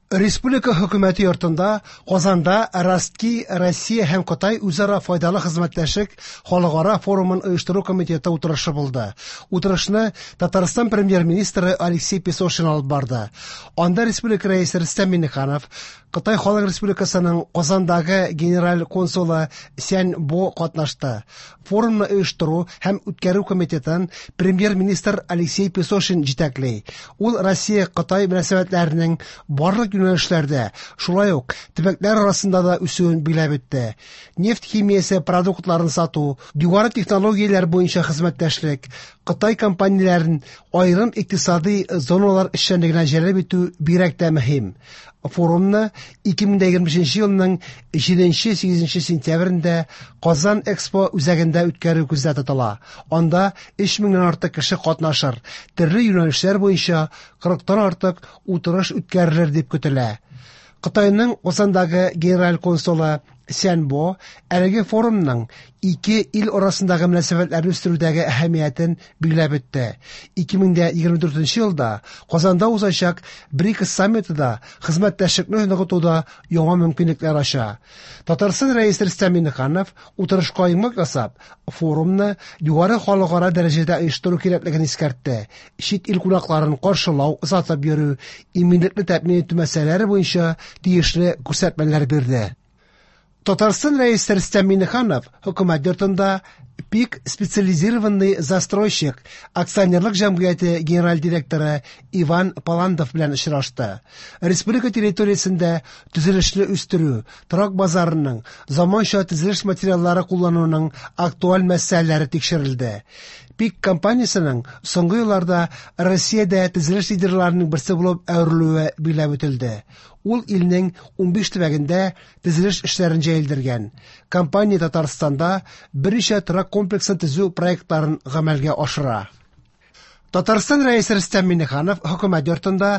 Республика хөкүмәте йортында Казанда Ростки Россия һәм Кытай үзара файдалы хезмәттәшлек халыкара форумын оештыру комитеты утырышы булды. Утырышны Татарстан премьер-министры Алексей Песошин алып барды. Анда республика рәисе Рөстәм Миңнеханов, Кытай Халык Республикасының Казандагы генераль консулы Сянь Бо катнашты. Форумны оештыру һәм үткәрү комитетын премьер-министр Алексей Песошин җитәкли. Ул Россия-Кытай мөнәсәбәтләренең барлык юнәлешләрдә, шулай ук төбәкләр арасында да үсүен билгеләп үтте. Нефть химиясе продуктларын сату, югары технологияләр буенча хезмәттәшлек, Кытай компанияләрен аерым икътисадый зоналар эшчәнлегенә җәлеп итү бигрәк тә мөһим. Форумны 2025 елның 7-8 сентябрендә Казан Экспо үзәгендә үткәрү күздә тотыла. Анда 3 меңнән артык кеше катнашыр, төрле юнәлешләр буенча 40-тан артык утырыш үткәрелер дип көтелә. Кытайның Казандагы генераль консулы Сянь Бо әлеге форумның ике ил арасындагы мөнәсәбәтләрне үстерүдәге әһәмиятен билгеләп үтте. 2024 елда Казанда узачак БРИКС саммиты да хезмәттәшлекне ныгытуда яңа мөмкинлекләр ача. Татарстан Рәисе Рөстәм Миңнеханов утырышка йомгак ясап, форумны югары халыкара дәрәҗәдә оештыру кирәклеген искәртте. Чит ил кунакларын каршылау, озатып йөрү, иминлекне тәэмин итү мәсьәләләре буенча тиешле күрсәтмәләр бирде. Татарстан Рәисе Рөстәм Миңнеханов хөкүмәт йортында ПИК специализированный застройщик акционерлык җәмгыяте генераль директоры Иван Паландов белән очрашты. Республика территориясендә төзелешне үстерү, торак базарының, заманча төзелеш материаллары куллануның актуаль мәсьәләләре тикшерелде. ПИК компаниясенең соңгы елларда Россиядә төзелеш лидерларының берсе булып әверелүе билгеләп үтелде. Ул илнең 15 төбәгендә төзелеш эшләрен җәелдергән. Компания Татарстанда берничә торак комплексын төзү проектларын гамәлгә ашыра. Татарстан Рәисе Рөстәм Миңнеханов хөкүмәт йортында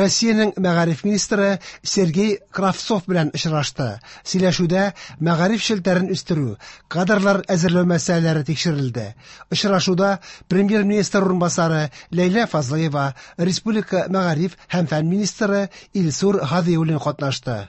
Россиянең мәгариф министры Сергей Кравцов белән очрашты. Сөйләшүдә мәгариф челтәрен үстерү, кадрлар әзерләү мәсьәләләре тикшерелде. Очрашуда премьер-министр урынбасары Ләйлә Фазлыева, республика мәгариф һәм фән министры Илсур Һадиуллин катнашты.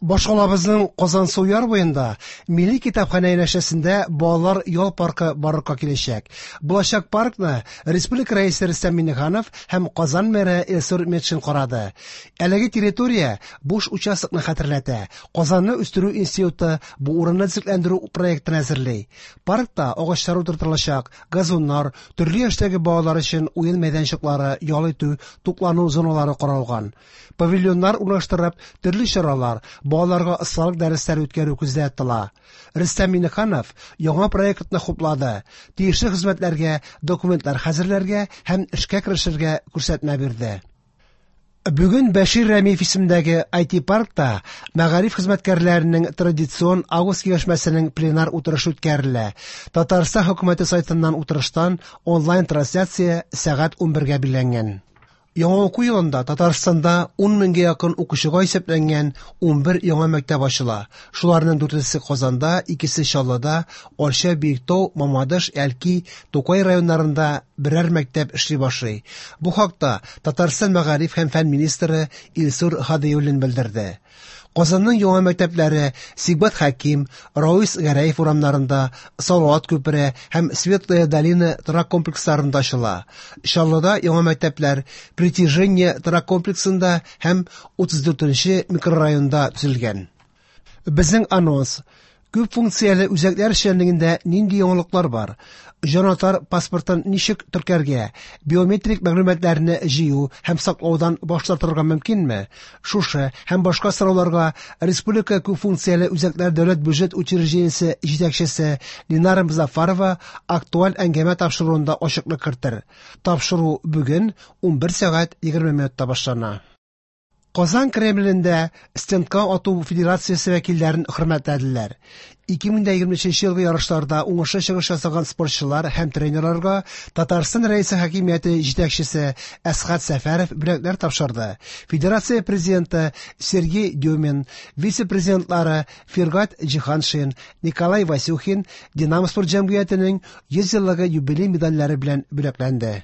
Башкалабызның Казансу яр буенда Милли китапханә янәшәсендә балалар ял паркы барлыкка киләчәк. Булачак паркны республика рәисе Рөстәм Миңнеханов һәм Казан мэры Илсур Метшин карады. Әлеге территория буш участокны хәтерләтә. Казанны үстерү институты бу урынны төзекләндерү проектын әзерли. Паркта агачлар утыртылачак, газоннар, төрле яшьтәге балалар өчен уен мәйданчыклары, ял итү, туклану зоналары каралган. Павильоннар урнаштырып, төрле чаралар, балаларга осталык дәресләре үткәрү күздә тотыла. Рөстәм Миңнеханов яңа проектны хуплады. Тиешле хезмәтләргә документлар хәзерләргә һәм эшкә керешергә күрсәтмә бирде. Бүген Бәшир Рәмиев исемендәге IT-паркта мәгариф хезмәткәрләренең традицион август киңәшмәсенең пленар утырышы үткәрелә. Татарстан хөкүмәте сайтыннан утырыштан онлайн-трансляция сәгать 11-гә билгеләнгән. Яңа уку елында Татарстанда 10 меңгә якын укучыга исәпләнгән 11 яңа мәктәп ачыла. Шуларның дүртесе Казанда, икесе Чаллыда, Арча, Биектау, Мамадыш, Әлки, Тукай районнарында берәр мәктәп эшли башлый. Бу хакта Татарстан мәгариф һәм фән министры Илсур Һадиуллин белдерде. Казанның яңа мәктәпләре Сибгат Хәким, Рауис Гәрәев урамнарында, Салават күпере һәм Светлая долина торак комплексларында ачыла. Чаллыда яңа мәктәпләр Притяжение торак комплексында һәм 34 микрорайонда төзелгән. Безнең анонс. Күп функцияле үзәкләр эшчәнлегендә нинди яңалыклар бар? Җанатар паспортын ничек теркәргә? Биометрик мәгълүматларны җыю һәм саклаудан баш тартырга мөмкинме? Шушы һәм башка сорауларга Республика күп функцияле үзәкләр дәүләт бюджет учреждениесе җитәкчесе Линара Мозаффарова актуаль әңгәмә тапшыруында ачыклык кертер. Тапшыру бүген 11 сәгать 20 минутта башлана. Казан Кремлендә стендка ату федерациясе вәкилләрен хөрмәтләделәр. 2023 елгы ярышларда уңышлы чыгыш ясаган спортчылар һәм тренерларга Татарстан Рәисе хакимияте җитәкчесе Әсхәт Сәфәров бүләкләр тапшырды. Федерация президенты Сергей Дюмин, вице-президентлары Фиргат Җиһаншин, Николай Васюхин Динамо спорт җәмгыятенең 100 еллыгы юбилей медальләре белән бүләкләнде.